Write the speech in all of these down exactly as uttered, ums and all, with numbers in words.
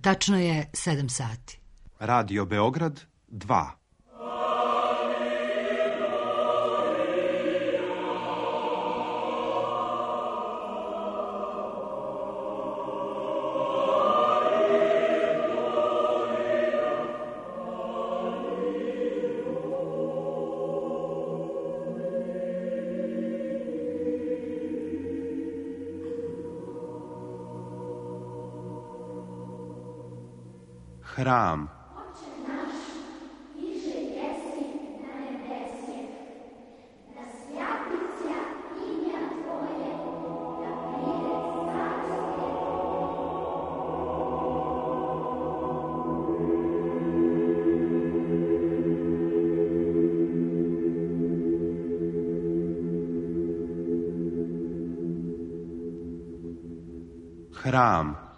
Tačno je sedam sati. Radio Beograd dva. Hram. Hram.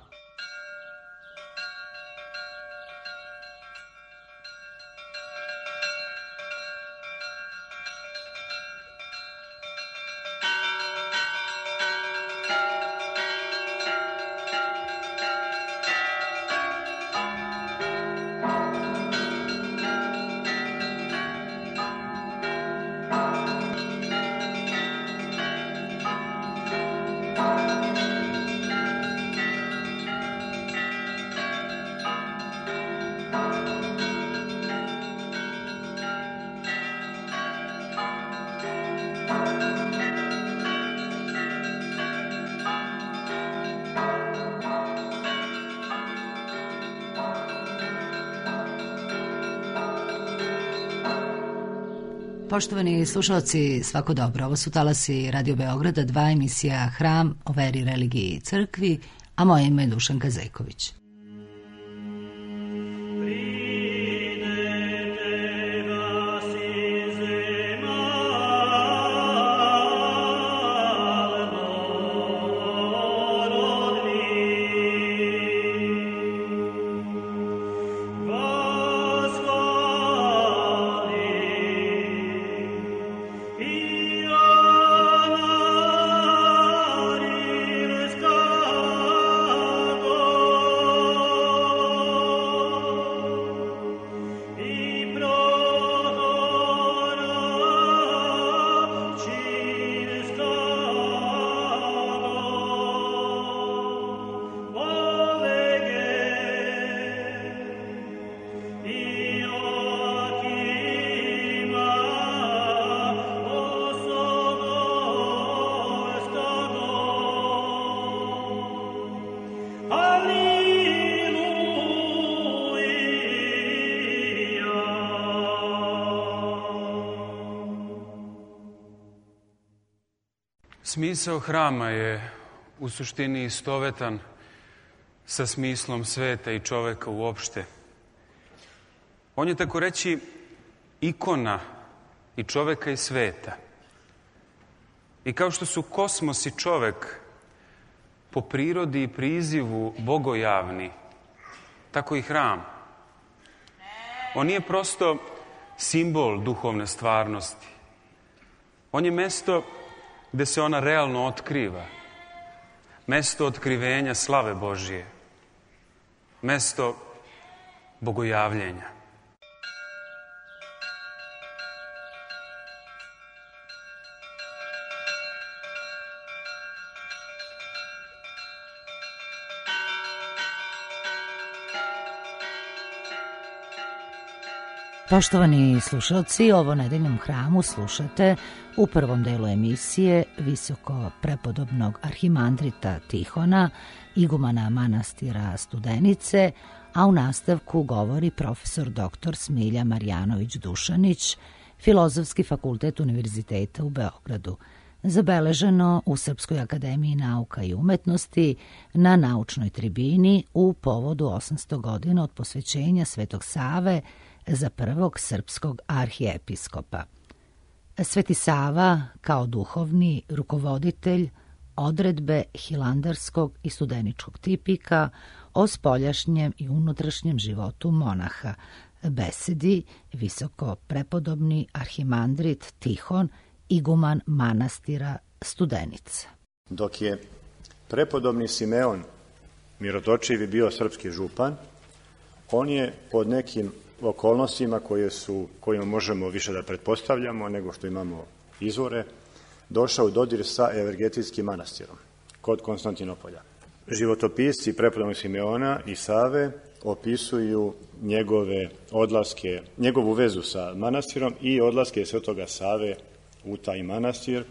Poštovani slušalci, svako dobro. Ovo su talasi Radio Beograda, dva, emisija Hram o veri, religiji i crkvi, a moje ime je Dušanka Zejković. Smisao hrama je u suštini istovetan sa smislom sveta i čoveka uopšte. On je, tako reći, ikona i čoveka i sveta. I kao što su kosmos i čovek po prirodi i prizivu bogojavni, tako i hram. On nije prosto simbol duhovne stvarnosti. On je mesto gde se ona realno otkriva. Mesto otkrivenja slave Božije. Mesto bogojavljenja. Poštovani slušalci, ovo Nedeljnom hramu slušate u prvom delu emisije visoko prepodobnog arhimandrita Tihona, igumana manastira Studenice, a u nastavku govori profesor doktor Smilja Marjanović-Dušanić, Filozofski fakultet Univerziteta u Beogradu, zabeleženo u Srpskoj akademiji nauka i umetnosti na naučnoj tribini u povodu osamsto godina od posvećenja Svetog Save za prvog srpskog arhijepiskopa. Sveti Sava kao duhovni rukovoditelj odredbe hilandarskog i studeničkog tipika o spoljašnjem i unutrašnjem životu monaha besedi visoko prepodobni arhimandrit Tihon, iguman manastira Studenica. Dok je prepodobni Simeon Mirotočiv je bio srpski župan. On je pod nekim okolnostima koje su, kojima možemo više da pretpostavljamo nego što imamo izvore, došao u dodir sa Evergetijskim manastirom kod Konstantinopolja. Životopisci prepodobnog Simeona i Save opisuju njegove odlaske, njegovu vezu sa manastirom i odlaske Svetoga Save u taj manastir,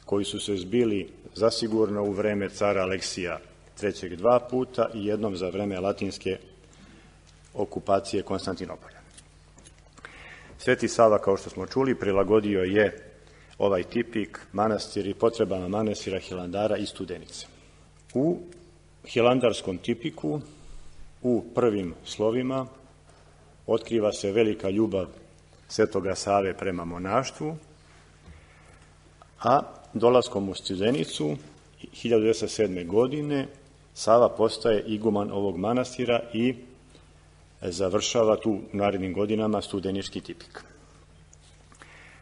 koji su se zbili zasigurno u vreme cara Aleksija trećeg dva puta i jednom za vreme latinske okupacije Konstantinopolja. Sveti Sava, kao što smo čuli, prilagodio je ovaj tipik manastir i potrebama manastira Hilandara i Studenice. U hilandarskom tipiku, u prvim slovima, otkriva se velika ljubav Svetoga Save prema monaštvu, a dolaskom u Studenicu hiljadu devetsto sedme. godine Sava postaje iguman ovog manastira i završava tu u narednim godinama studenički tipik.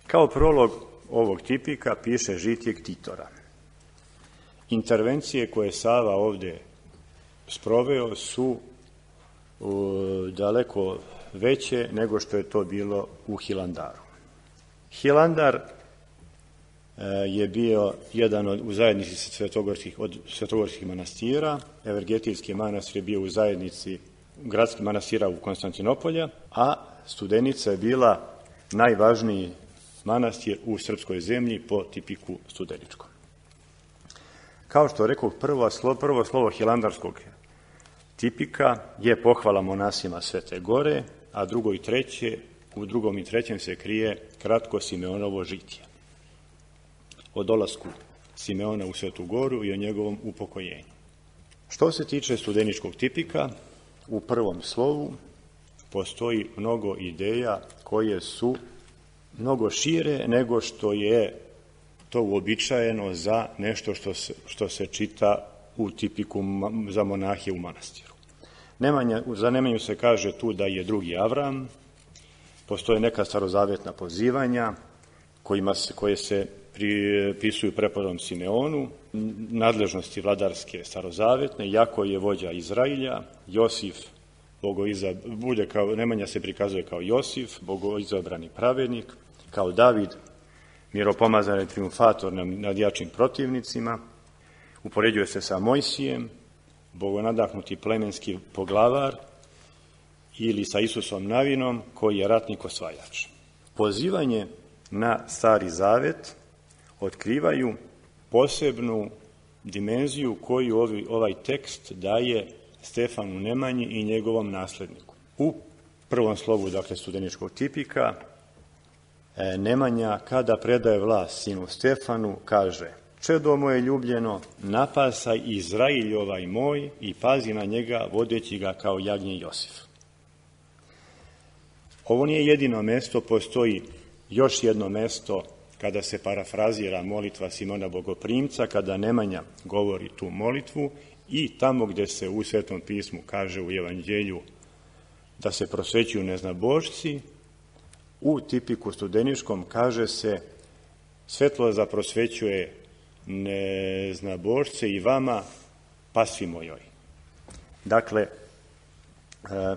Kao prolog ovog tipika piše žitije ktitora. Intervencije koje Sava ovde sproveo su daleko veće nego što je to bilo u Hilandaru. Hilandar je bio jedan od, u zajednici svetogorskih, od svetogorskih manastira. Evergetijski manastir je bio u zajednici gradskih manastira u Konstantinopolja, a Studenica je bila najvažniji manastir u srpskoj zemlji po tipiku studeničkom. Kao što rekao, prvo slovo, prvo slovo hilandarskog tipika je pohvala monasima Svete Gore, a drugo i treće, u drugom i trećem se krije kratko Simeonovo žitije o dolasku Simeona u Svetu Goru i o njegovom upokojenju. Što se tiče studeničkog tipika, u prvom slovu postoji mnogo ideja koje su mnogo šire nego što je to uobičajeno za nešto što se, što se čita u tipiku za monahije u manastiru. Nemanja, za Nemanju se kaže tu da je drugi Avram, postoje neka starozavetna pozivanja kojima se, koje se pripisuju prepodobnom Simeonu, nadležnosti vladarske starozavetne, Jako je vođa Izrailja, Josif, bogoiza, bude kao, Nemanja se prikazuje kao Josif, bogoizabrani pravednik, kao David, miropomazan triumfator nad jačim protivnicima, upoređuje se sa Mojsijem, bogonadahnuti plemenski poglavar, ili sa Isusom Navinom, koji je ratnik osvajač. Pozivanje na Stari Zavet otkrivaju posebnu dimenziju koju ovi, ovaj tekst daje Stefanu Nemanji i njegovom nasledniku. U prvom slovu, dakle, studeničkog tipika, Nemanja, kada predaje vlast sinu Stefanu, kaže: čedo moje ljubljeno, napasaj Izrailj ovaj moj i pazi na njega, vodeći ga kao jagnje Josif. Ovo nije jedino mesto, postoji još jedno mesto kada se parafrazira molitva Simona Bogoprimca, kada Nemanja govori tu molitvu, i tamo gde se u Svetom pismu kaže u Evanđelju da se prosvećuju neznabošci, u tipiku studeničkom kaže se: svetlo za prosvećuje neznabošce i vama, pasvi mojoj. Dakle, e,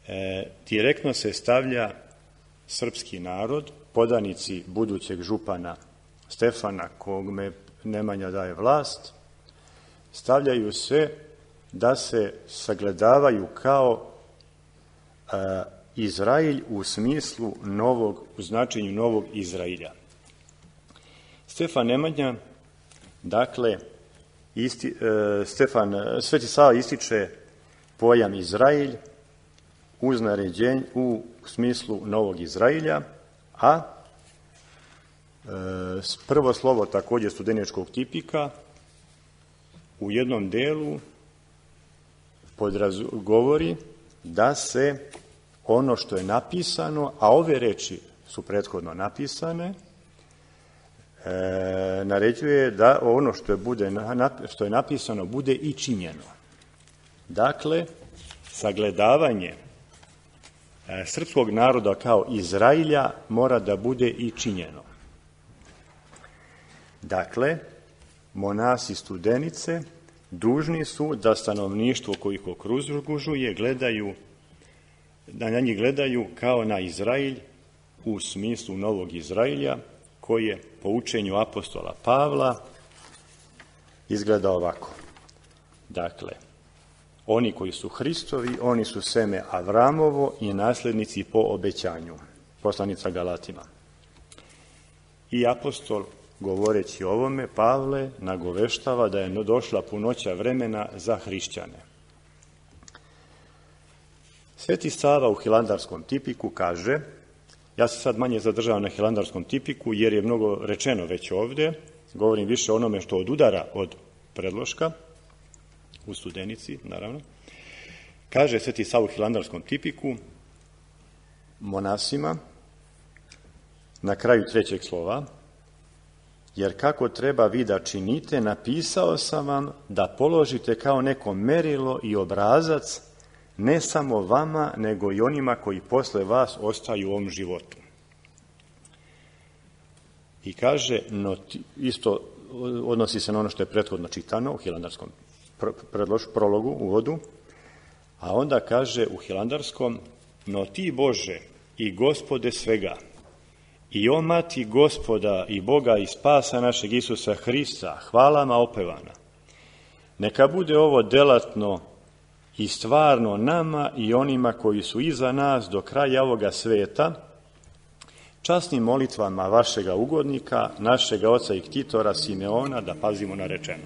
e, direktno se stavlja srpski narod, podanici budućeg župana Stefana, kogme Nemanja daje vlast, stavljaju se da se sagledavaju kao e, Izrailj u smislu novog, u značenju novog Izrailja. Stefan Nemanja, dakle, isti, e, Stefan, Sveti Sava ističe pojam Izrailj uz naređenje u smislu novog Izrailja, a e, prvo slovo također studeničkog tipika u jednom delu podraz, govori da se ono što je napisano, a ove reči su prethodno napisane, e, naređuje da ono što je, bude, što je napisano bude i činjeno. Dakle, sagledavanje e, srpskog naroda kao Izrailja mora da bude i činjeno. Dakle, monasi Studenice dužni su da stanovništvo koji ih okružuje gledaju, da na njih gledaju kao na Izraelj u smislu Novog Izraelja, koji je po učenju apostola Pavla izgleda ovako. Dakle, oni koji su Hristovi, oni su seme Avramovo i nasljednici po obećanju. Poslanica Galatima. I apostol, govoreći o ovome, Pavle nagoveštava da je došla punoća vremena za hrišćane. Sveti Sava u Hilandarskom tipiku kaže, ja se sad manje zadržavam na Hilandarskom tipiku jer je mnogo rečeno već ovdje, govorim više o onome što odudara od predloška, u Studenici, naravno. Kaže Sveti Sava u Hilandarskom tipiku monasima na kraju trećeg slova, jer kako treba vi da činite, napisao sam vam da položite kao neko merilo i obrazac ne samo vama, nego i onima koji posle vas ostaju u ovom životu. I kaže, no, isto odnosi se na ono što je prethodno čitano u Hilandarskom prologu, uvodu, a onda kaže u Hilandarskom, no ti Bože i Gospode svega, i o mati Gospoda i Boga i spasa našeg Isusa Hrista, hvalama opevana, neka bude ovo delatno i stvarno nama i onima koji su iza nas do kraja ovoga sveta, časnim molitvama vašega ugodnika, našega oca i ktitora Simeona, da pazimo na rečeno.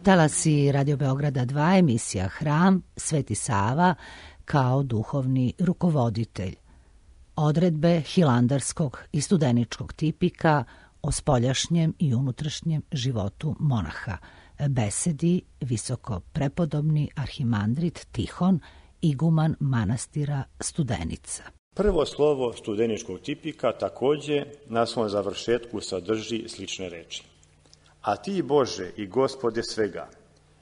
Talasi Radio Beograda dva, emisija Hram, Sveti Sava kao duhovni rukovoditelj. Odredbe hilandarskog i studeničkog tipika o spoljašnjem i unutrašnjem životu monaha. Besedi visoko prepodobni arhimandrit Tihon, iguman manastira Studenica. Prvo slovo studeničkog tipika takođe na svom završetku sadrži slične reči. A ti, Bože i Gospode svega,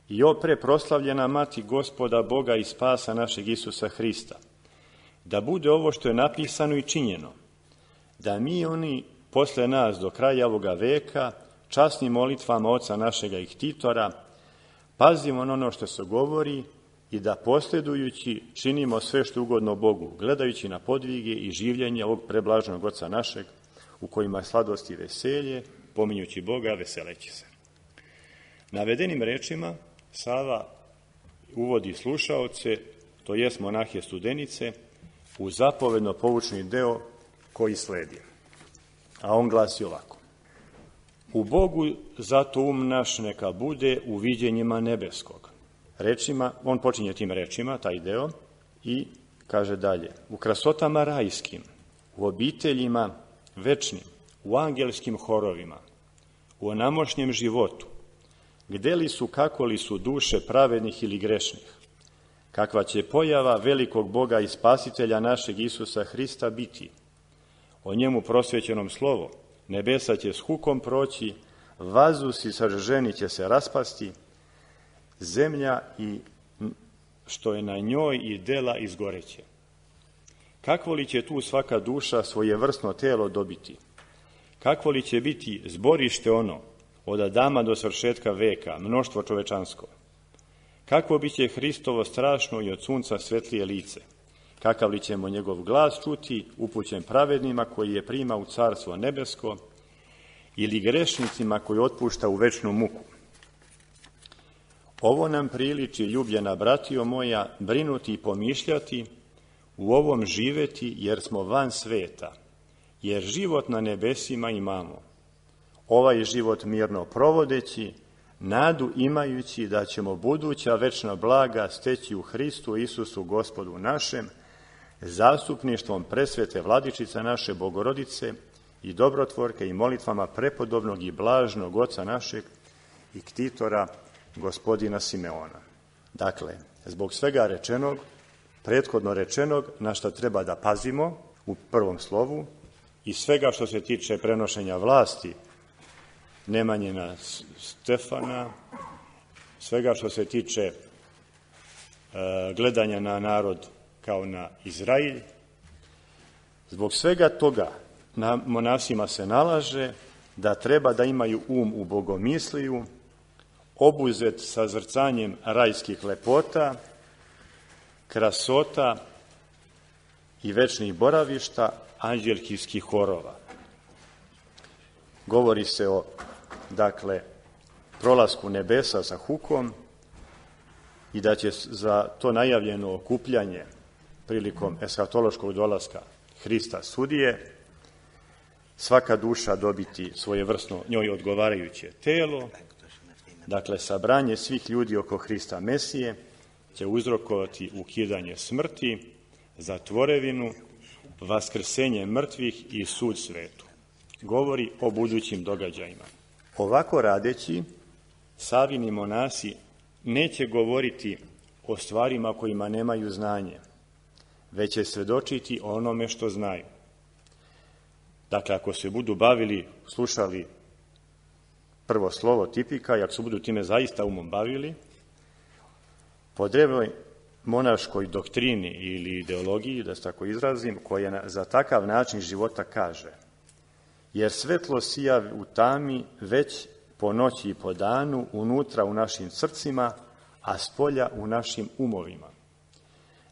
i opre proslavljena mati Gospoda Boga i spasa našeg Isusa Hrista, da bude ovo što je napisano i činjeno, da mi oni posle nas do kraja ovoga veka, časnim molitvama oca našega i ktitora, pazimo na ono što se govori i da posljedujući činimo sve što je ugodno Bogu, gledajući na podvige i življenje ovog preblaženog Oca našeg, u kojima je sladost i veselje, pominjući Boga, veseleći se. Navedenim rečima Sava uvodi slušaoce, to jest monahe studenice, u zapovedno poučni deo koji sledi. A on glasi ovako. U Bogu zato um naš neka bude u viđenjima nebeskog. Rečima, on počinje tim rečima, taj deo, i kaže dalje. U krasotama rajskim, u obiteljima večnim, u angelskim horovima, u onamošnjem životu, gde li su, kako li su duše pravednih ili grešnih, kakva će pojava velikog Boga i Spasitelja našeg Isusa Hrista biti. O njemu prosvećenom slovo, nebesa će s hukom proći, vazduh i saženi će se raspasti, zemlja i što je na njoj i dela izgoreće. Kakvo li će tu svaka duša svojevrsno telo dobiti? Kakvo li će biti zborište ono, od Adama do svršetka veka, mnoštvo čovečansko? Kakvo biće Hristovo strašno i od sunca svetlije lice? Kakav li ćemo njegov glas čuti, upućen pravednima koji je prima u carstvo nebesko, ili grešnicima koji otpušta u večnu muku? Ovo nam priliči, ljubljena bratio moja, brinuti i pomišljati, u ovom živeti jer smo van sveta, jer život na nebesima imamo. Ovaj život mirno provodeći, nadu imajući da ćemo buduća večna blaga steći u Hristu Isusu Gospodu našem, zastupništvom presvete Vladičice naše Bogorodice i dobrotvorke i molitvama prepodobnog i blažnog Oca našeg i ktitora gospodina Simeona. Dakle, zbog svega rečenog, prethodno rečenog, na što treba da pazimo u prvom slovu, i svega što se tiče prenošenja vlasti Nemanjina Stefana, svega što se tiče e, gledanja na narod kao na Izrael, zbog svega toga na monasima se nalaže da treba da imaju um u bogomisliju, obuzet sa zrcanjem rajskih lepota, krasota i večnih boravišta anđelskih horova. Govori se o, dakle, prolasku nebesa sa hukom i da će za to najavljeno okupljanje prilikom eshatološkog dolaska Hrista sudije svaka duša dobiti svojevrsno njoj odgovarajuće telo. Dakle, sabranje svih ljudi oko Hrista Mesije će uzrokovati ukidanje smrti, zatvorevinu, vaskrsenje mrtvih i sud svetu. Govori o budućim događajima. Ovako radeći, Savini monasi neće govoriti o stvarima kojima nemaju znanje, već će svedočiti o onome što znaju. Dakle, ako se budu bavili, slušali prvo slovo tipika, i ako se budu time zaista umom bavili, po drevnoj monaškoj doktrini ili ideologiji, da se tako izrazim, koja za takav način života kaže: jer svetlo sija u tami već po noći i po danu, unutra u našim srcima, a spolja u našim umovima.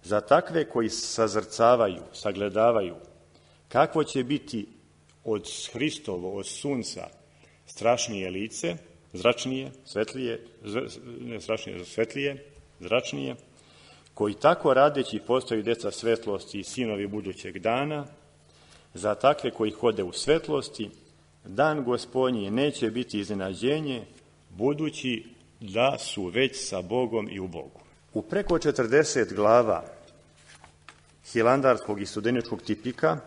Za takve koji sazrcavaju, sagledavaju, kakvo će biti od Hristovo, od sunca, strašnije lice, zračnije, svetlije, ne strašnije, svetlije, zračnije, koji tako radeći postaju deca svetlosti i sinovi budućeg dana, za takve koji hode u svetlosti, dan Gospodnji neće biti iznenađenje, budući da su već sa Bogom i u Bogu. U preko četrdeset glava hilandarskog i studeničkog tipika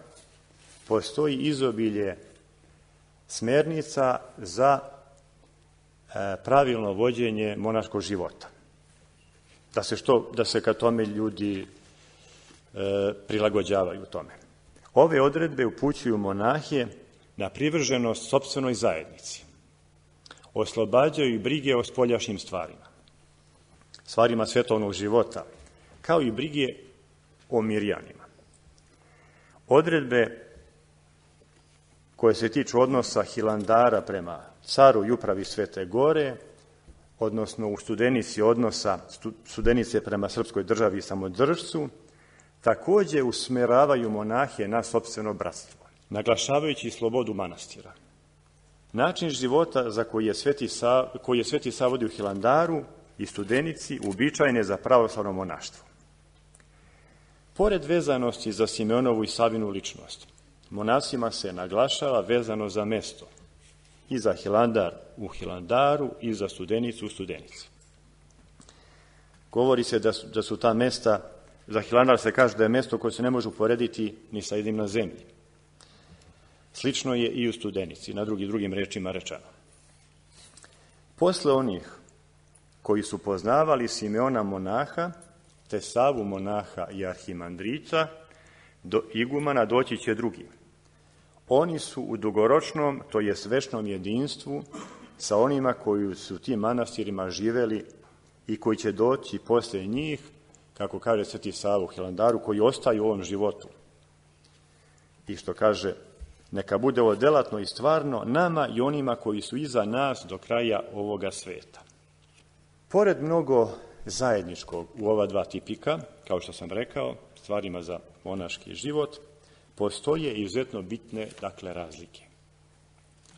postoji izobilje smernica za e, pravilno vođenje monaškog života. Da se, što, da se ka tome ljudi e, prilagođavaju tome. Ove odredbe upućuju monahe na privrženost sopstvenoj zajednici. Oslobađaju i brige o spoljašnjim stvarima, stvarima svetovnog života, kao i brige o mirjanima. Odredbe koje se tiču odnosa hilandara prema caru i upravi Svete Gore odnosno u Studenici odnosa Studenice prema srpskoj državi i samodržcu, takođe usmeravaju monahe na sopstveno bratstvo, naglašavajući slobodu manastira. Način života za koji je Sveti, Sa, koji je Sveti Sava vodio u Hilandaru i Studenici uobičajen je za pravoslavno monaštvo. Pored vezanosti za Simeonovu i Savinu ličnost, monasima se naglašava vezano za mesto i za Hilandar u Hilandaru i za Studenicu u Studenici. Govori se da su, da su ta mesta, za Hilandar se kaže da je mesto koje se ne može uporediti ni sa jednim na zemlji. Slično je i u Studenici, na drugim, drugim rečima rečeno. Posle onih koji su poznavali Simeona monaha, te Savu monaha i arhimandrita, do igumana doći će drugi. Oni su u dugoročnom, to jest večnom jedinstvu sa onima koji su u tim manastirima živeli i koji će doći posle njih, kako kaže Sveti Sava u Hilandaru, koji ostaju u ovom životu. I što kaže, neka bude ovo delatno i stvarno nama i onima koji su iza nas do kraja ovoga sveta. Pored mnogo zajedničkog u ova dva tipika, kao što sam rekao, stvarima za monaški život, postoje izuzetno bitne, dakle, razlike.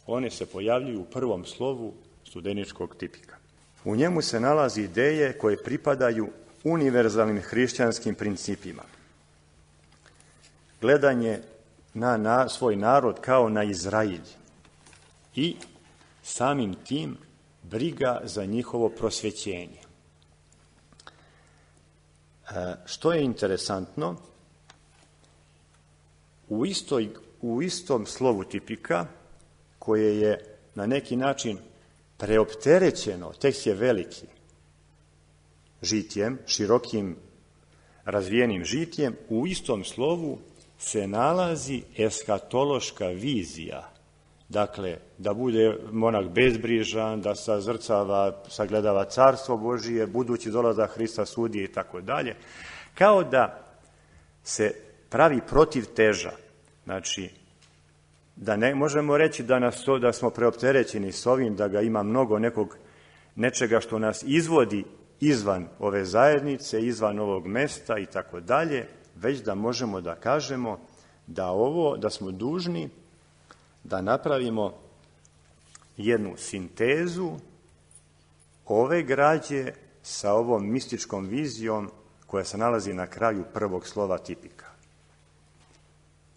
One se pojavljuju u prvom slovu studeničkog tipika. U njemu se nalazi ideje koje pripadaju univerzalnim hrišćanskim principima. Gledanje na, na svoj narod kao na Izrailj i samim tim briga za njihovo prosvećenje. E, što je interesantno, u, istoj, u istom slovu tipika, koje je na neki način preopterećeno, tekst je veliki, žitjem, širokim razvijenim žitjem, u istom slovu se nalazi eskatološka vizija. Dakle, da bude monak bezbrižan, da sazrcava, sagledava carstvo Božije, budući dolazak Hrista sudije i tako dalje. Kao da se pravi protiv teža. Znači, da ne možemo reći da, nas to, da smo preopterećeni s ovim, da ga ima mnogo nekog, nečega što nas izvodi izvan ove zajednice, izvan ovog mesta i tako dalje, već da možemo da kažemo da ovo, da smo dužni da napravimo jednu sintezu ove građe sa ovom mističkom vizijom koja se nalazi na kraju prvog slova tipika.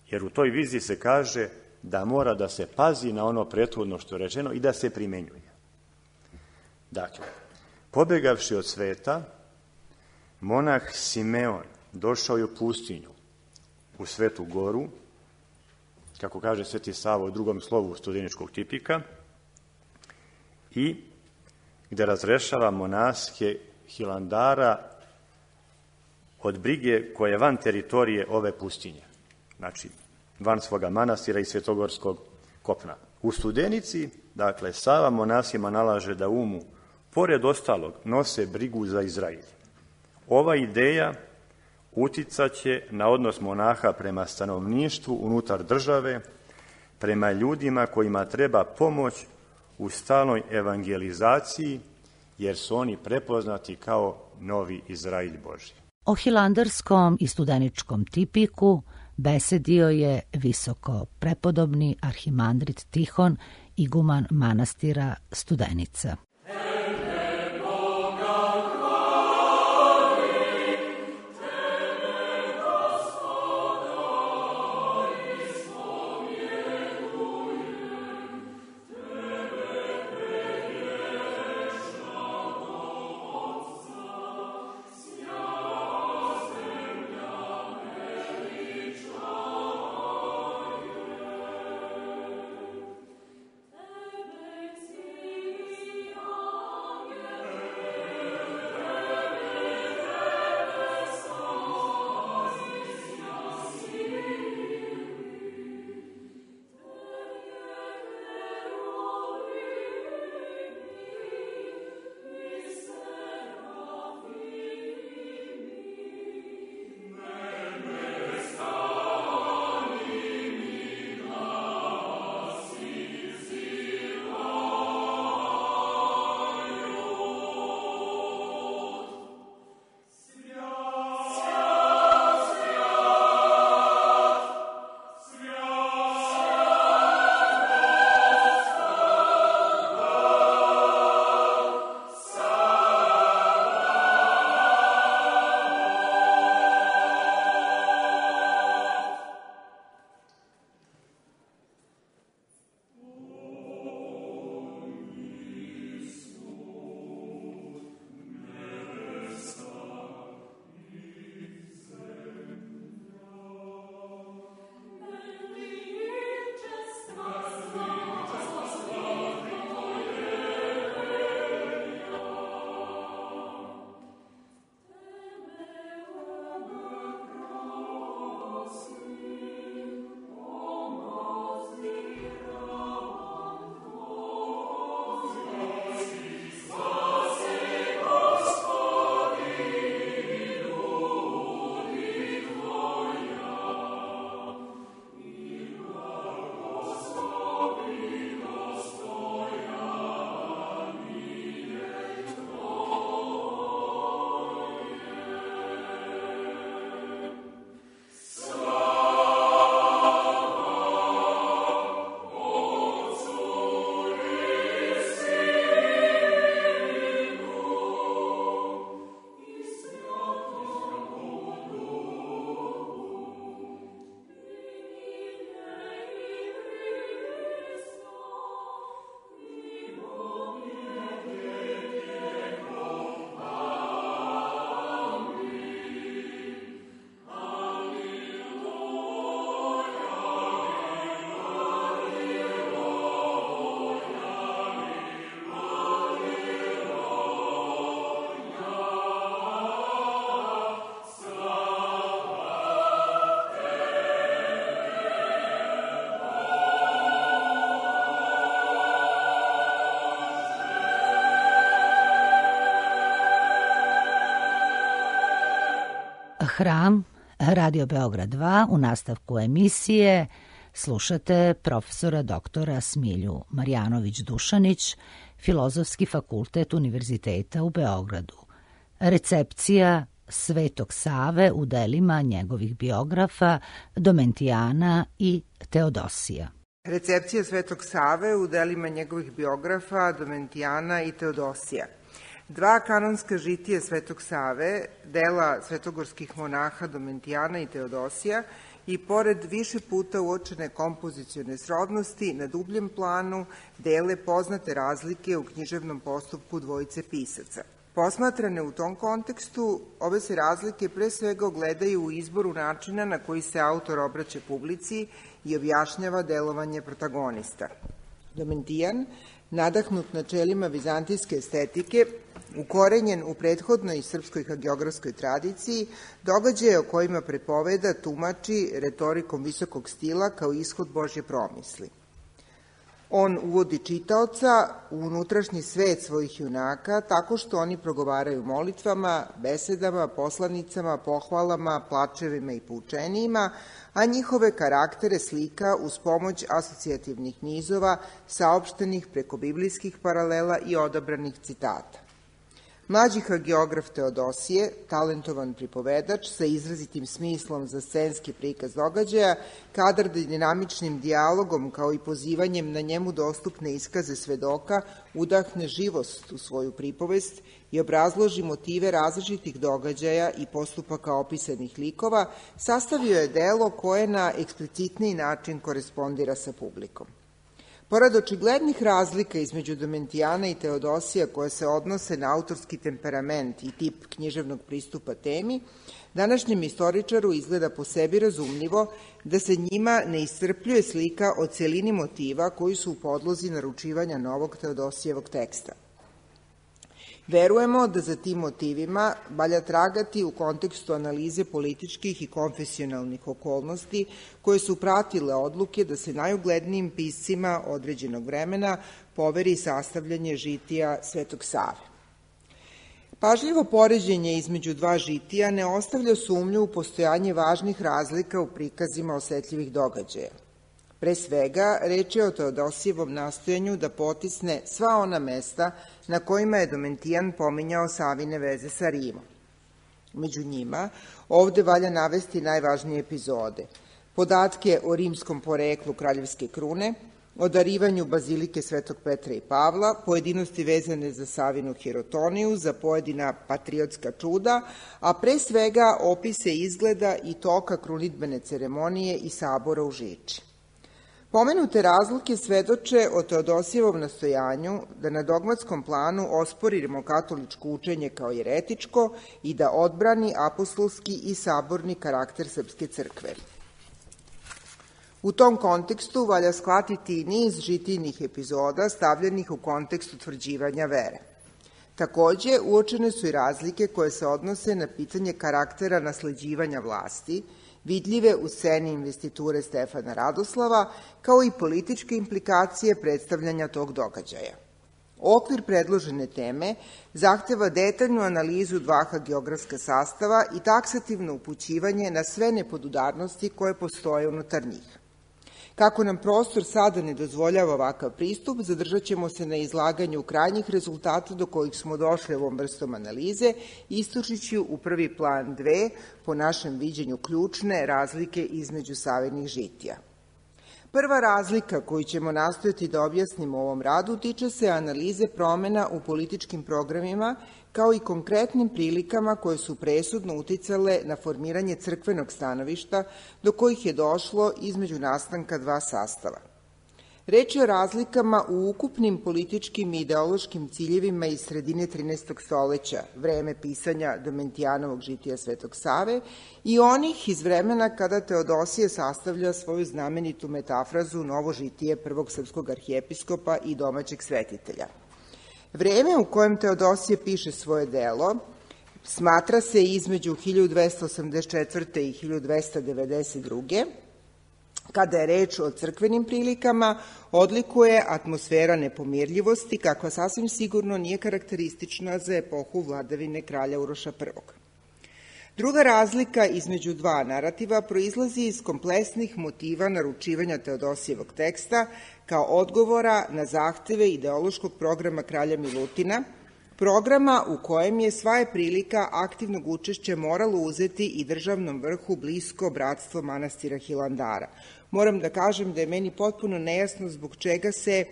Jer u toj viziji se kaže da mora da se pazi na ono prethodno što je rečeno i da se primenjuje. Dakle, pobegavši od sveta, monah Simeon došao je u pustinju, u Svetu goru, kako kaže Sveti Sava u drugom slovu studeničkog tipika, i gde razrešava monaske Hilandara od brige koja je van teritorije ove pustinje, znači van svoga manastira i svetogorskog kopna. U Studenici, dakle, Sava monasima nalaže da umu, pored ostalog, nose brigu za Izrailj. Ova ideja uticaće na odnos monaha prema stanovništvu unutar države, prema ljudima kojima treba pomoć u stalnoj evangelizaciji, jer su oni prepoznati kao novi Izrailj Božji. O hilandarskom i studeničkom tipiku besedio je visoko prepodobni arhimandrit Tihon, iguman manastira Studenica. Tebe Hram, Radio Beograd dva, u nastavku emisije slušate profesora doktora Smilju Marjanović-Dušanić, Filozofski fakultet Univerziteta u Beogradu. Recepcija Svetog Save u delima njegovih biografa Domentijana i Teodosija. Recepcija Svetog Save u delima njegovih biografa Domentijana i Teodosija. Dva kanonska žitija Svetog Save, dela svetogorskih monaha Domentijana i Teodosija, i pored više puta uočene kompozicione srodnosti, na dubljem planu dele poznate razlike u književnom postupku dvojice pisaca. Posmatrane u tom kontekstu, ove se razlike pre svega ogledaju u izboru načina na koji se autor obraća publici i objašnjava delovanje protagonista. Domentijan, nadahnut načelima vizantijske estetike, ukorenjen u prethodnoj srpskoj hagiografskoj tradiciji, događaje o kojima prepoveda, tumači retorikom visokog stila kao ishod Božje promisli. On uvodi čitaoca u unutrašnji svet svojih junaka tako što oni progovaraju molitvama, besedama, poslanicama, pohvalama, plačevima i poučenijima, a njihove karaktere slika uz pomoć asocijativnih nizova saopštenih preko biblijskih paralela i odabranih citata. Mlađi hagiograf Teodosije, talentovan pripovedač sa izrazitim smislom za scenski prikaz događaja, kadar da dinamičnim dijalogom kao i pozivanjem na njemu dostupne iskaze svedoka udahne živost u svoju pripovest i obrazloži motive različitih događaja i postupaka opisanih likova, sastavio je delo koje na eksplicitniji način korespondira sa publikom. Pored očiglednih razlika između Domentijana i Teodosija koje se odnose na autorski temperament i tip književnog pristupa temi, današnjem istoričaru izgleda po sebi razumljivo da se njima ne iscrpljuje slika o celini motiva koji su u podlozi naručivanja novog Teodosijevog teksta. Verujemo da za tim motivima valja tragati u kontekstu analize političkih i konfesionalnih okolnosti koje su pratile odluke da se najuglednijim piscima određenog vremena poveri sastavljanje žitija Svetog Save. Pažljivo poređenje između dva žitija ne ostavlja sumnju u postojanje važnih razlika u prikazima osetljivih događaja. Pre svega, reč je o Teodosijevom nastojanju da potisne sva ona mesta na kojima je Domentijan pominjao Savine veze sa Rimom. Među njima, ovde valja navesti najvažnije epizode. Podatke o rimskom poreklu kraljevske krune, o darivanju bazilike Svetog Petra i Pavla, pojedinosti vezane za Savinu Hirotoniju, za pojedina patriotska čuda, a pre svega opise izgleda i toka krunidbene ceremonije i sabora u Žiči. Pomenute razlike svedoče o Teodosijevom nastojanju da na dogmatskom planu osporimo katoličko učenje kao jeretičko i da odbrani apostolski i saborni karakter Srpske crkve. U tom kontekstu valja shvatiti i niz žitijnih epizoda stavljenih u kontekst utvrđivanja vere. Takođe, uočene su i razlike koje se odnose na pitanje karaktera nasleđivanja vlasti, vidljive u sceni investiture Stefana Radoslava, kao i političke implikacije predstavljanja tog događaja. Okvir predložene teme zahteva detaljnu analizu dva hagiografska sastava i taksativno upućivanje na sve nepodudarnosti koje postoje unutar njih. Kako nam prostor sada ne dozvoljava ovakav pristup, zadržat ćemo se na izlaganju krajnjih rezultata do kojih smo došli ovom vrstom analize, istočići u prvi plan dve, po našem viđenju ključne razlike između Savinih žitija. Prva razlika koju ćemo nastojati da objasnimo u ovom radu tiče se analize promena u političkim programima kao i konkretnim prilikama koje su presudno uticale na formiranje crkvenog stanovišta do kojih je došlo između nastanka dva sastava. Reč je o razlikama u ukupnim političkim i ideološkim ciljevima iz sredine trinaestog stoleća, vreme pisanja Domentijanovog žitija Svetog Save, i onih iz vremena kada Teodosije sastavlja svoju znamenitu metafrazu Novo žitije prvog srpskog arhijepiskopa i domaćeg svetitelja. Vreme u kojem Teodosije piše svoje delo smatra se između hiljadu dvesta osamdeset četvrte i hiljadu dvesta devedeset druge Kada je reč o crkvenim prilikama, odlikuje atmosfera nepomirljivosti, kakva sasvim sigurno nije karakteristična za epohu vladavine kralja Uroša prvog. Druga razlika između dva narativa proizlazi iz kompleksnih motiva naručivanja Teodosijevog teksta kao odgovora na zahteve ideološkog programa kralja Milutina, programa u kojem je sva je prilika aktivnog učešća moralo uzeti i državnom vrhu blisko bratstvo manastira Hilandara. Moram da kažem da je meni potpuno nejasno zbog čega se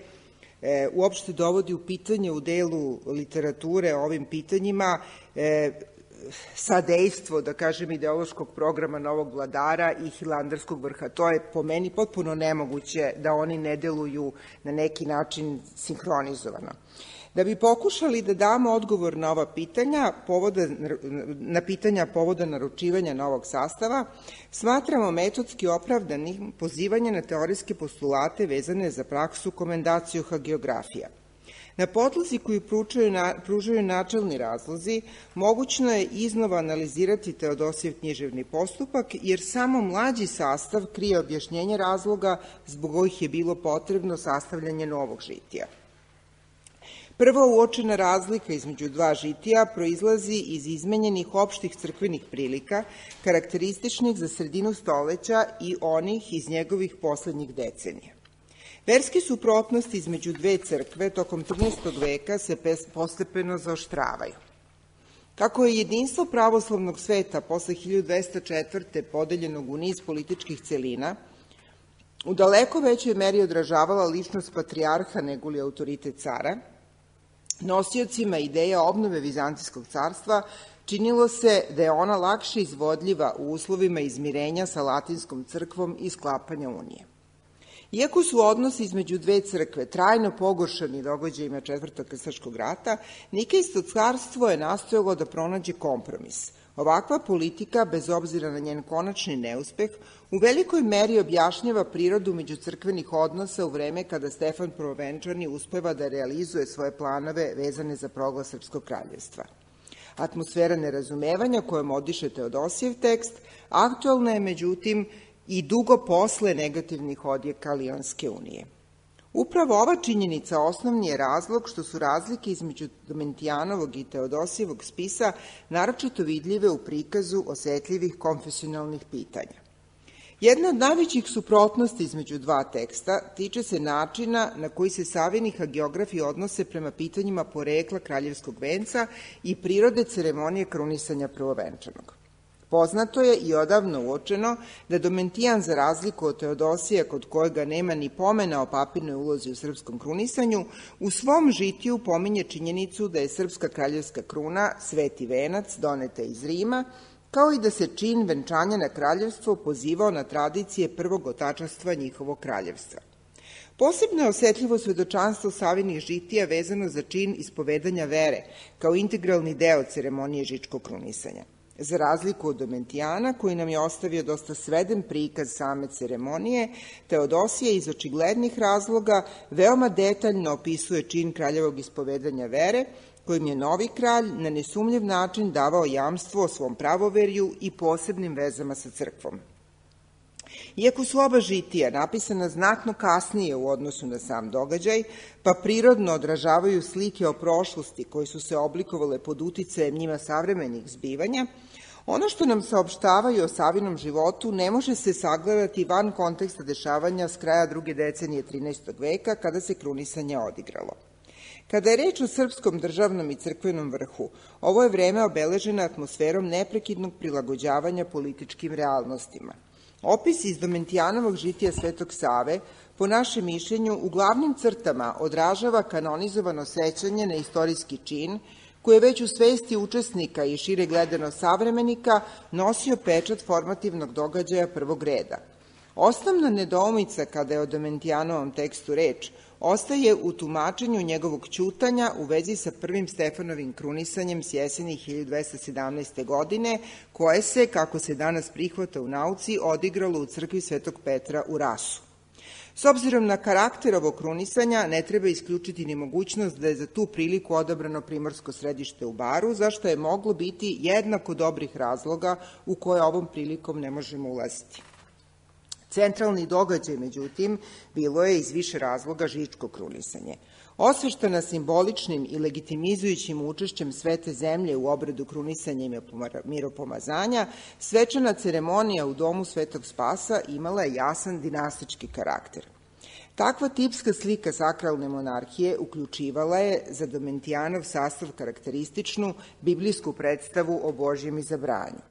e, uopšte dovodi u pitanje u delu literature o ovim pitanjima e, sadejstvo, da kažem, ideološkog programa novog vladara i hilandarskog vrha. To je po meni potpuno nemoguće da oni ne deluju na neki način sinhronizovano. Da bi pokušali da damo odgovor na ova pitanja, povoda, na pitanja povoda naručivanja novog sastava, smatramo metodski opravdanim pozivanje na teorijske postulate vezane za praksu komendaciju hagiografija. Na podlozi koju pružaju načelni razlozi, mogućno je iznova analizirati Teodosijev književni postupak, jer samo mlađi sastav krije objašnjenje razloga zbog kojih je bilo potrebno sastavljanje novog žitija. Prva uočena razlika između dva žitija proizlazi iz izmenjenih opštih crkvenih prilika, karakterističnih za sredinu stoleća i onih iz njegovih poslednjih decenija. Verske suprotnosti između dve crkve tokom trinaestog veka se postepeno zaoštravaju. Kako je jedinstvo pravoslavnog sveta posle hiljadu dvesta četvrte podeljenog u niz političkih celina, u daleko većoj meri odražavala ličnost patrijarha nego li autoritet cara, nosiocima ideja obnove Vizantijskog carstva činilo se da je ona lakše izvodljiva u uslovima izmirenja sa latinskom crkvom i sklapanja unije. Iako su odnosi između dve crkve trajno pogoršani događajima Četvrtog krstaškog rata, Nikejsko carstvo je nastojalo da pronađe kompromis. Ovakva politika, bez obzira na njen konačni neuspeh, u velikoj meri objašnjava prirodu međucrkvenih odnosa u vreme kada Stefan Prvovenčani uspeva da realizuje svoje planove vezane za proglas Srpskog kraljevstva. Atmosfera nerazumevanja kojom odiše Teodosijev tekst aktuelna je, međutim, i dugo posle negativnih odjeka Lionske unije. Upravo ova činjenica osnovni je razlog što su razlike između Domentijanovog i Teodosijevog spisa naročito vidljive u prikazu osetljivih konfesionalnih pitanja. Jedna od najvećih suprotnosti između dva teksta tiče se načina na koji se savini hagiografi odnose prema pitanjima porekla kraljevskog venca i prirode ceremonije krunisanja prvovenčanog. Poznato je i odavno uočeno da Domentijan, za razliku od Teodosija, kod kojega nema ni pomena o papirnoj ulozi u srpskom krunisanju, u svom žitiju pominje činjenicu da je srpska kraljevska kruna sveti venac doneta iz Rima, kao i da se čin venčanja na kraljevstvo pozivao na tradicije prvog otačanstva njihovog kraljevstva. Posebno je osetljivo svedočanstvo Savinih žitija vezano za čin ispovedanja vere, kao integralni deo ceremonije žičkog krunisanja. Za razliku od Domentijana, koji nam je ostavio dosta sveden prikaz same ceremonije, Teodosije iz očiglednih razloga veoma detaljno opisuje čin kraljevog ispovedanja vere, kojim je novi kralj na nesumljiv način davao jamstvo o svom pravoverju i posebnim vezama sa crkvom. Iako su oba žitija napisana znatno kasnije u odnosu na sam događaj, pa prirodno odražavaju slike o prošlosti koje su se oblikovale pod uticajem njima savremenih zbivanja, ono što nam saopštavaju o Savinom životu ne može se sagledati van konteksta dešavanja s kraja druge decenije trinaestog veka, kada se krunisanje odigralo. Kada je reč o srpskom državnom i crkvenom vrhu, ovo je vreme obeleženo atmosferom neprekidnog prilagođavanja političkim realnostima. Opis iz Domentijanovog žitija Svetog Save, po našem mišljenju, u glavnim crtama odražava kanonizovano sećanje na istorijski čin, koji je već u svesti učesnika i šire gledano savremenika nosio pečat formativnog događaja prvog reda. Osnovna nedoumica kada je o Domentijanovom tekstu reč ostaje u tumačenju njegovog ćutanja u vezi sa prvim Stefanovim krunisanjem s jeseni hiljadu dvesta sedamnaeste. godine, koje se, kako se danas prihvata u nauci, odigralo u crkvi Svetog Petra u Rasu. S obzirom na karakter ovog krunisanja, ne treba isključiti ni mogućnost da je za tu priliku odabrano primorsko središte u Baru, zašto je moglo biti jednako dobrih razloga u koje ovom prilikom ne možemo ulaziti. Centralni događaj, međutim, bilo je iz više razloga žičko krunisanje. Osveštana simboličnim i legitimizujućim učešćem svete zemlje u obradu krunisanja i miropomazanja, svečana ceremonija u domu Svetog Spasa imala je jasan dinastički karakter. Takva tipska slika sakralne monarhije uključivala je za Domentijanov sastav karakterističnu biblijsku predstavu o Božjem izabranju.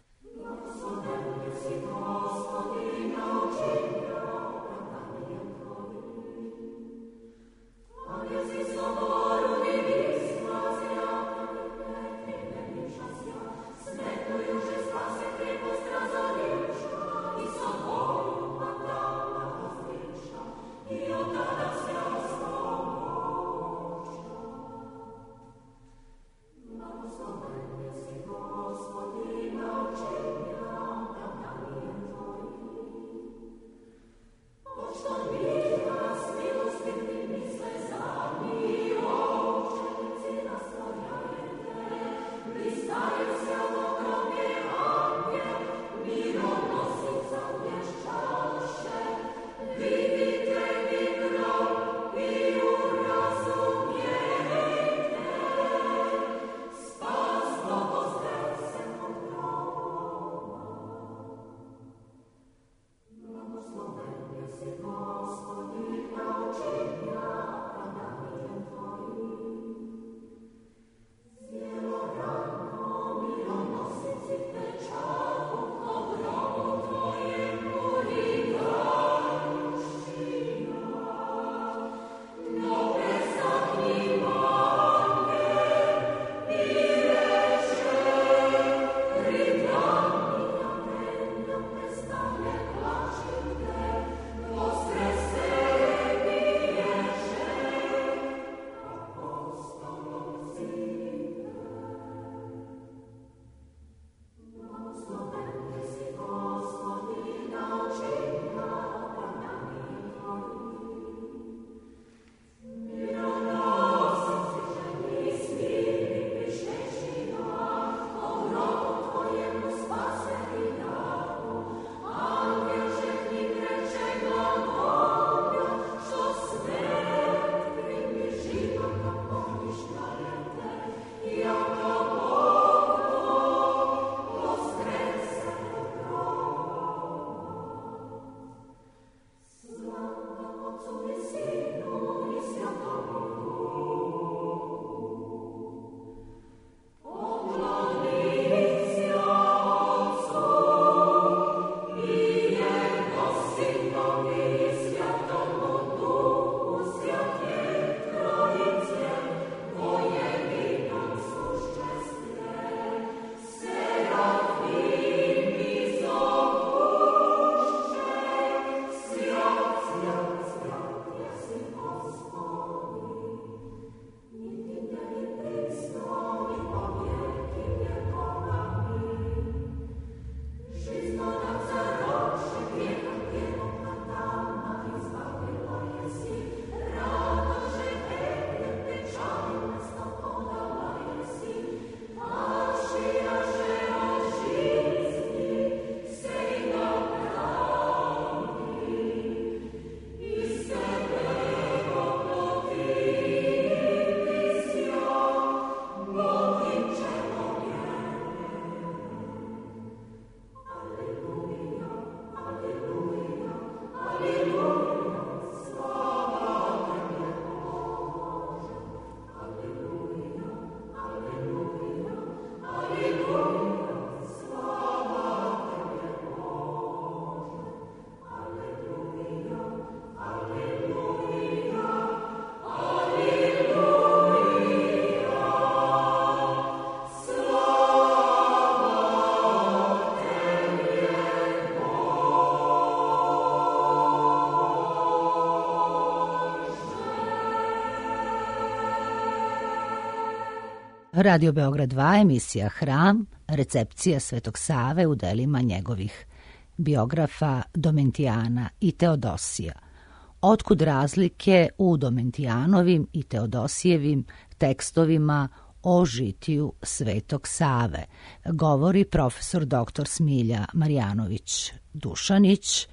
Radio Beograd dva, emisija Hram, recepcija Svetog Save u delima njegovih biografa Domentijana i Teodosija. Otkud razlike u Domentijanovim i Teodosijevim tekstovima o žitiju Svetog Save, govori profesor doktor Smilja Marjanović Dušanić,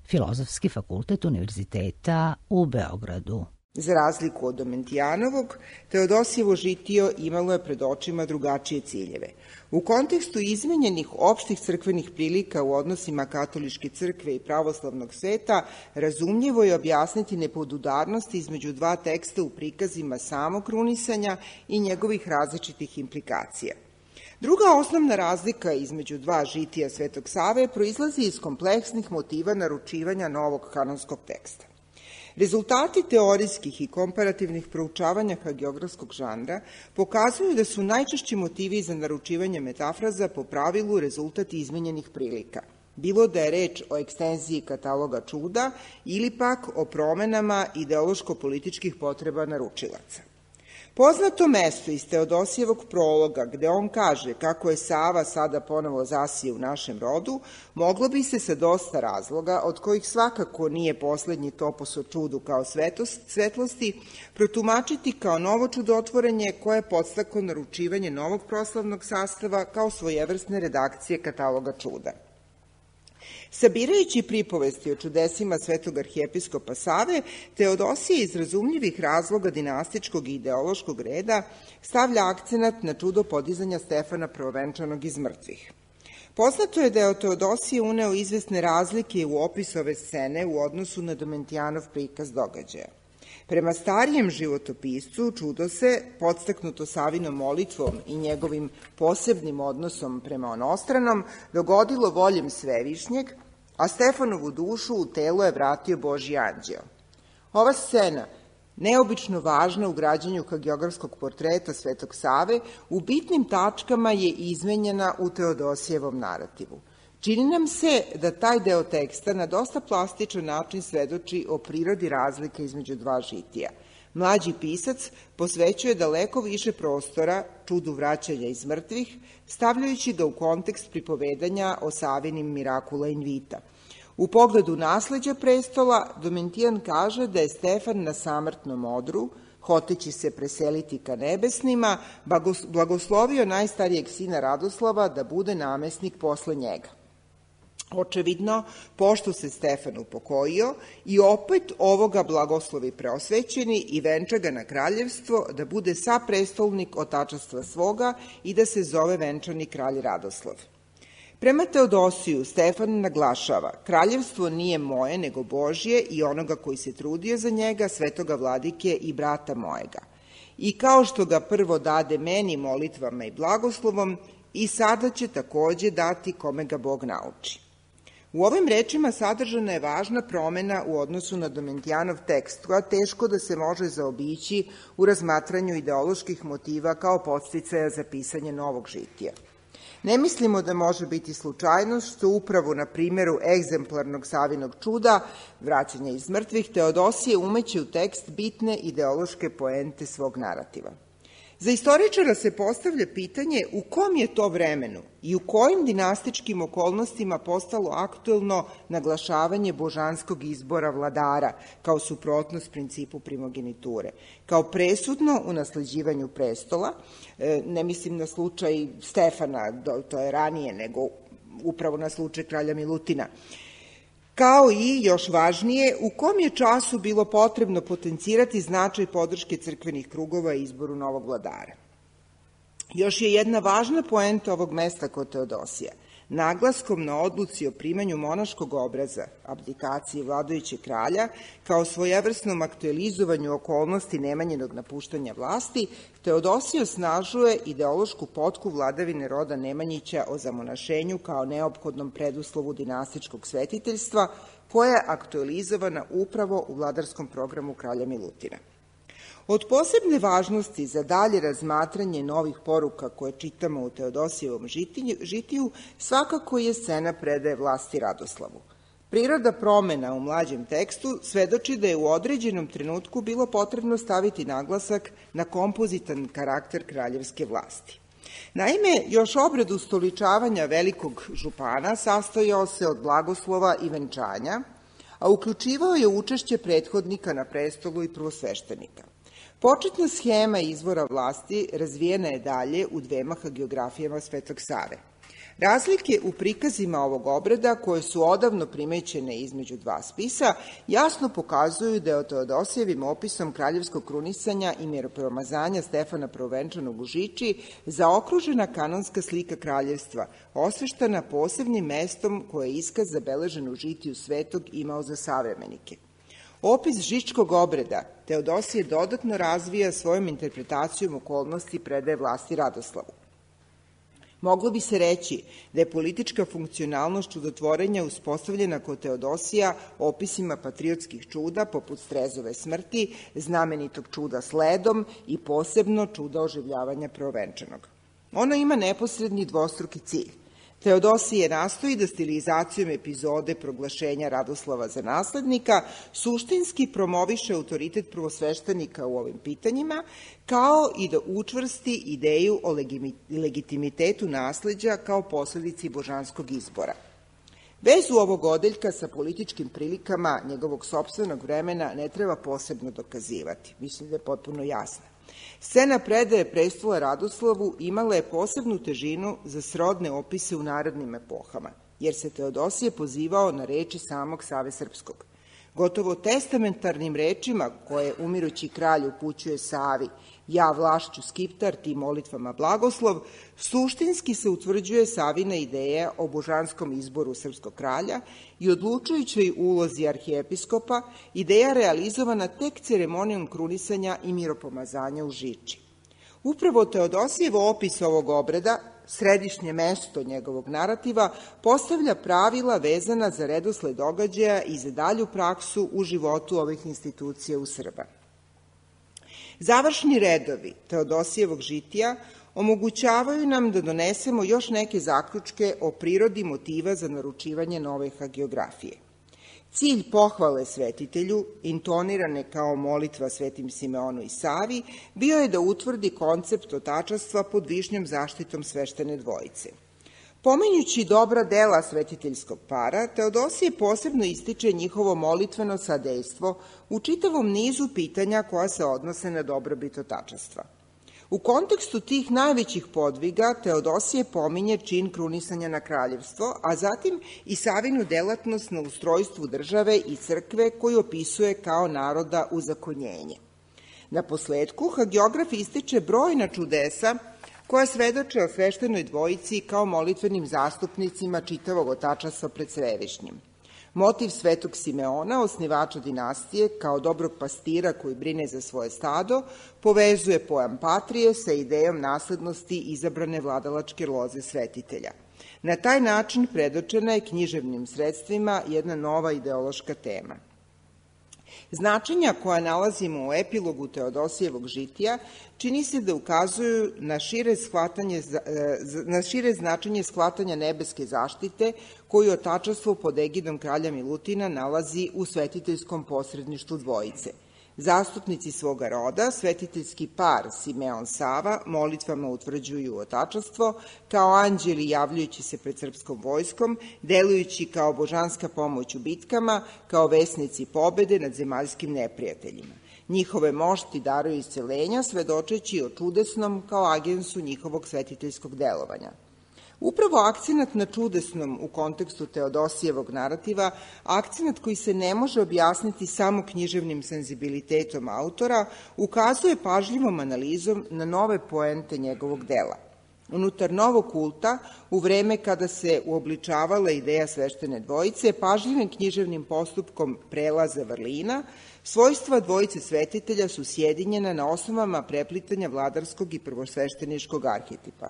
Filozofski fakultet Univerziteta u Beogradu. Za razliku od Domentijanovog, Teodosijevo žitio imalo je pred očima drugačije ciljeve. U kontekstu izmenjenih opštih crkvenih prilika u odnosima katoličke crkve i pravoslavnog sveta, razumljivo je objasniti nepodudarnosti između dva teksta u prikazima samog krunisanja i njegovih različitih implikacija. Druga osnovna razlika između dva žitija Svetog Save proizlazi iz kompleksnih motiva naručivanja novog kanonskog teksta. Rezultati teorijskih i komparativnih proučavanja hagiografskog žanra pokazuju da su najčešći motivi za naručivanje metafraza po pravilu rezultat izmenjenih prilika, bilo da je reč o ekstenziji kataloga čuda ili pak o promenama ideološko-političkih potreba naručilaca. Poznato mesto iz Teodosijevog prologa, gde on kaže kako je Sava sada ponovo zasije u našem rodu, moglo bi se sa dosta razloga, od kojih svakako nije poslednji topos o čudu kao svetost, svetlosti, protumačiti kao novo čudotvorenje koje je podstaklo naručivanje novog proslavnog sastava kao svojevrsne redakcije kataloga čuda. Sabirajući pripovesti o čudesima svetog arhijepiskopa Save, Teodosije iz razumljivih razloga dinastičkog i ideološkog reda stavlja akcenat na čudo podizanja Stefana Prvovenčanog iz mrtvih. Poznato je da je Teodosije uneo izvesne razlike u opis ove scene u odnosu na Domentijanov prikaz događaja. Prema starijem životopiscu, čudo se, podstaknuto Savinom molitvom i njegovim posebnim odnosom prema onostranom, dogodilo voljem Svevišnjeg, a Stefanovu dušu u telo je vratio Božji anđeo. Ova scena, neobično važna u građenju hagiografskog portreta Svetog Save, u bitnim tačkama je izmenjena u Teodosijevom narativu. Čini nam se da taj deo teksta na dosta plastičan način svedoči o prirodi razlike između dva žitija. Mlađi pisac posvećuje daleko više prostora čudu vraćanja iz mrtvih, stavljajući ga u kontekst pripovedanja o Savinim Miracula in Vita. U pogledu nasleđa prestola, Domentijan kaže da je Stefan na samrtnom odru, hoteći se preseliti ka nebesnima, blagoslovio najstarijeg sina Radoslava da bude namesnik posle njega. Očevidno, pošto se Stefan upokojio, i opet ovoga blagoslovi preosvećeni i venča ga na kraljevstvo da bude saprestolnik otačastva svoga i da se zove venčani kralj Radoslav. Prema Teodosiju, Stefan naglašava, kraljevstvo nije moje, nego Božje i onoga koji se trudio za njega, svetoga vladike i brata mojega. I kao što ga prvo dade meni molitvama i blagoslovom, i sada će takođe dati kome ga Bog nauči. U ovim rečima sadržana je važna promena u odnosu na Domentijanov tekst, koja teško da se može zaobići u razmatranju ideoloških motiva kao podsticaja za pisanje novog žitija. Ne mislimo da može biti slučajnost što upravo na primjeru egzemplarnog Savinog čuda, vraćanja iz mrtvih, Teodosije umeće u tekst bitne ideološke poente svog narativa. Za istoričara se postavlja pitanje u kom je to vremenu i u kojim dinastičkim okolnostima postalo aktuelno naglašavanje božanskog izbora vladara kao suprotnost principu primogeniture, kao presudno u nasleđivanju prestola, ne mislim na slučaj Stefana, to je ranije, nego upravo na slučaj kralja Milutina, kao i, još važnije, u kom je času bilo potrebno potencirati značaj podrške crkvenih krugova i izboru novog vladara. Još je jedna važna poenta ovog mesta kod Teodosija. Naglaskom na odluci o primanju monaškog obraza, abdikaciji vladajućeg kralja, kao svojevrsnom aktualizovanju okolnosti Nemanjinog napuštanja vlasti, Teodosije osnažuje ideološku potku vladavine roda Nemanjića o zamonašenju kao neophodnom preduslovu dinastičkog svetiteljstva, koja je aktualizovana upravo u vladarskom programu kralja Milutina. Od posebne važnosti za dalje razmatranje novih poruka koje čitamo u Teodosijevom žitiju svakako je scena predaje vlasti Radoslavu. Priroda promena u mlađem tekstu svedoči da je u određenom trenutku bilo potrebno staviti naglasak na kompozitan karakter kraljevske vlasti. Naime, još obred ustoličavanja velikog župana sastojao se od blagoslova i venčanja, a uključivao je učešće prethodnika na prestolu i prvosveštenika. Početna schema izvora vlasti razvijena je dalje u dvema hagiografijama Svetog Save. Razlike u prikazima ovog obreda, koje su odavno primećene između dva spisa, jasno pokazuju da je Teodosijevim opisom kraljevskog krunisanja i miropomazanja Stefana Prvovenčanog u Žiči zaokružena kanonska slika kraljevstva, osveštana posebnim mestom koje je iskaz zabeležen u žitiju Svetog imao za savremenike. Opis žičkog obreda Teodosije dodatno razvija svojom interpretacijom okolnosti predaje vlasti Radoslavu. Moglo bi se reći da je politička funkcionalnost čudotvorenja uspostavljena kod Teodosija opisima patriotskih čuda poput Strezove smrti, znamenitog čuda s ledom i posebno čuda oživljavanja Prvovenčanog. Ono ima neposredni dvostruki cilj. Teodosije nastoji da stilizacijom epizode proglašenja Radoslava za naslednika suštinski promoviše autoritet prvosveštenika u ovim pitanjima, kao i da učvrsti ideju o legitimitetu nasleđa kao posledici božanskog izbora. Vezu ovog odeljka sa političkim prilikama njegovog sopstvenog vremena ne treba posebno dokazivati. Mislim da je potpuno jasna. Scena predaje prestola Radoslavu imala je posebnu težinu za srodne opise u narodnim epohama, jer se Teodosije pozivao na reči samog Save Srpskog. Gotovo testamentarnim rečima koje umirući kralj upućuje Savi, ja vlašću skiptar, ti molitvama blagoslov, suštinski se utvrđuje Savina ideja o božanskom izboru srpskog kralja i odlučujućoj ulozi arhijepiskopa, ideja realizovana tek ceremonijom krunisanja i miropomazanja u Žiči. Upravo Teodosijevo opis ovog obreda, središnje mesto njegovog narativa, postavlja pravila vezana za redosled događaja i za dalju praksu u životu ovih institucija u Srba. Završni redovi Teodosijevog žitija omogućavaju nam da donesemo još neke zaključke o prirodi motiva za naručivanje nove hagiografije. Cilj pohvale svetitelju, intonirane kao molitva Svetim Simeonu i Savi, bio je da utvrdi koncept otačastva pod višnjom zaštitom sveštene dvojice. Pominjući dobra dela svetiteljskog para, Teodosije posebno ističe njihovo molitveno sadejstvo u čitavom nizu pitanja koja se odnose na dobrobit otačastva. U kontekstu tih najvećih podviga Teodosije pominje čin krunisanja na kraljevstvo, a zatim i Savinu delatnost na ustrojstvu države i crkve koju opisuje kao naroda uzakonjenje. Na posledku, hagiograf ističe brojna čudesa koja svedoče o sveštenoj dvojici kao molitvenim zastupnicima čitavog otačastva pred Svevišnjim. Motiv Svetog Simeona, osnivača dinastije, kao dobrog pastira koji brine za svoje stado, povezuje pojam patrije sa idejom naslednosti izabrane vladalačke loze svetitelja. Na taj način predočena je književnim sredstvima jedna nova ideološka tema. Značenja koja nalazimo u epilogu Teodosijevog žitija čini se da ukazuju na šire, shvatanje, na šire značenje shvatanja nebeske zaštite koju otačastvo pod egidom kralja Milutina nalazi u svetiteljskom posredništvu dvojice. Zastupnici svoga roda, svetiteljski par Simeon Sava, molitvama utvrđuju otačastvo, kao anđeli javljajući se pred srpskom vojskom, delujući kao božanska pomoć u bitkama, kao vesnici pobede nad zemaljskim neprijateljima. Njihove mošti daruju iscelenja, svedočeći o čudesnom kao agensu njihovog svetiteljskog delovanja. Upravo akcenat na čudesnom u kontekstu Teodosijevog narativa, akcenat koji se ne može objasniti samo književnim senzibilitetom autora, ukazuje pažljivom analizom na nove poente njegovog dela. Unutar novog kulta, u vreme kada se uobličavala ideja sveštene dvojice, pažljivim književnim postupkom prelaza vrlina, svojstva dvojice svetitelja su sjedinjena na osnovama preplitanja vladarskog i prvosvešteničkog arhetipa.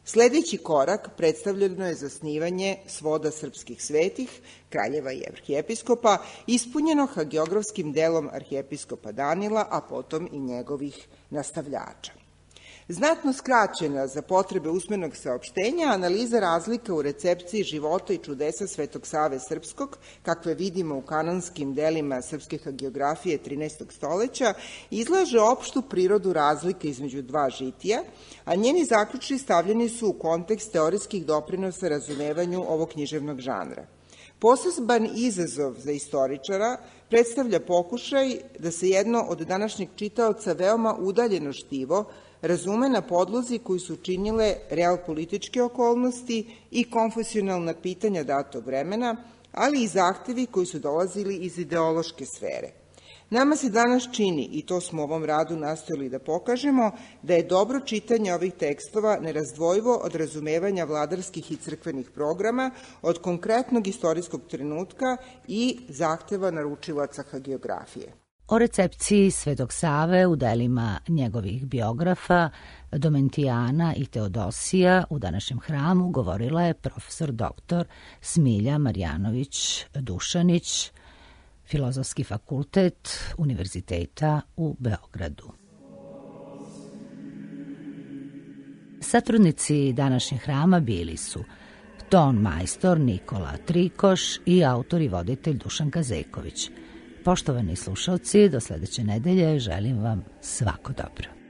Sledeći korak predstavljeno je zasnivanje svoda srpskih svetih, kraljeva i arhijepiskopa, ispunjeno hagiografskim delom arhijepiskopa Danila, a potom i njegovih nastavljača. Znatno skraćena za potrebe usmenog saopštenja, analiza razlika u recepciji života i čudesa Svetog Save Srpskog, kakve vidimo u kanonskim delima srpske hagiografije trinaestog stoleća, izlaže opštu prirodu razlike između dva žitija, a njeni zaključci stavljeni su u kontekst teorijskih doprinosa razumevanju ovog književnog žanra. Poseban izazov za istoričara predstavlja pokušaj da se jedno od današnjeg čitaoca veoma udaljeno štivo razume na podlozi koji su činile realpolitičke okolnosti i konfesionalna pitanja datog vremena, ali i zahtevi koji su dolazili iz ideološke sfere. Nama se danas čini, i to smo u ovom radu nastojali da pokažemo, da je dobro čitanje ovih tekstova nerazdvojivo od razumevanja vladarskih i crkvenih programa, od konkretnog istorijskog trenutka i zahteva naručilaca hagiografije. O recepciji Svetog Save u delima njegovih biografa Domentijana i Teodosija u današnjem hramu govorila je profesor doktor Smilja Marjanović-Dušanić, Filozofski fakultet Univerziteta u Beogradu. Satrudnici današnjeg hrama bili su ton majstor Nikola Trikoš i autor i voditelj Dušan Kazeković. Poštovani slušalci, do sledeće nedelje želim vam svako dobro.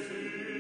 Sleep,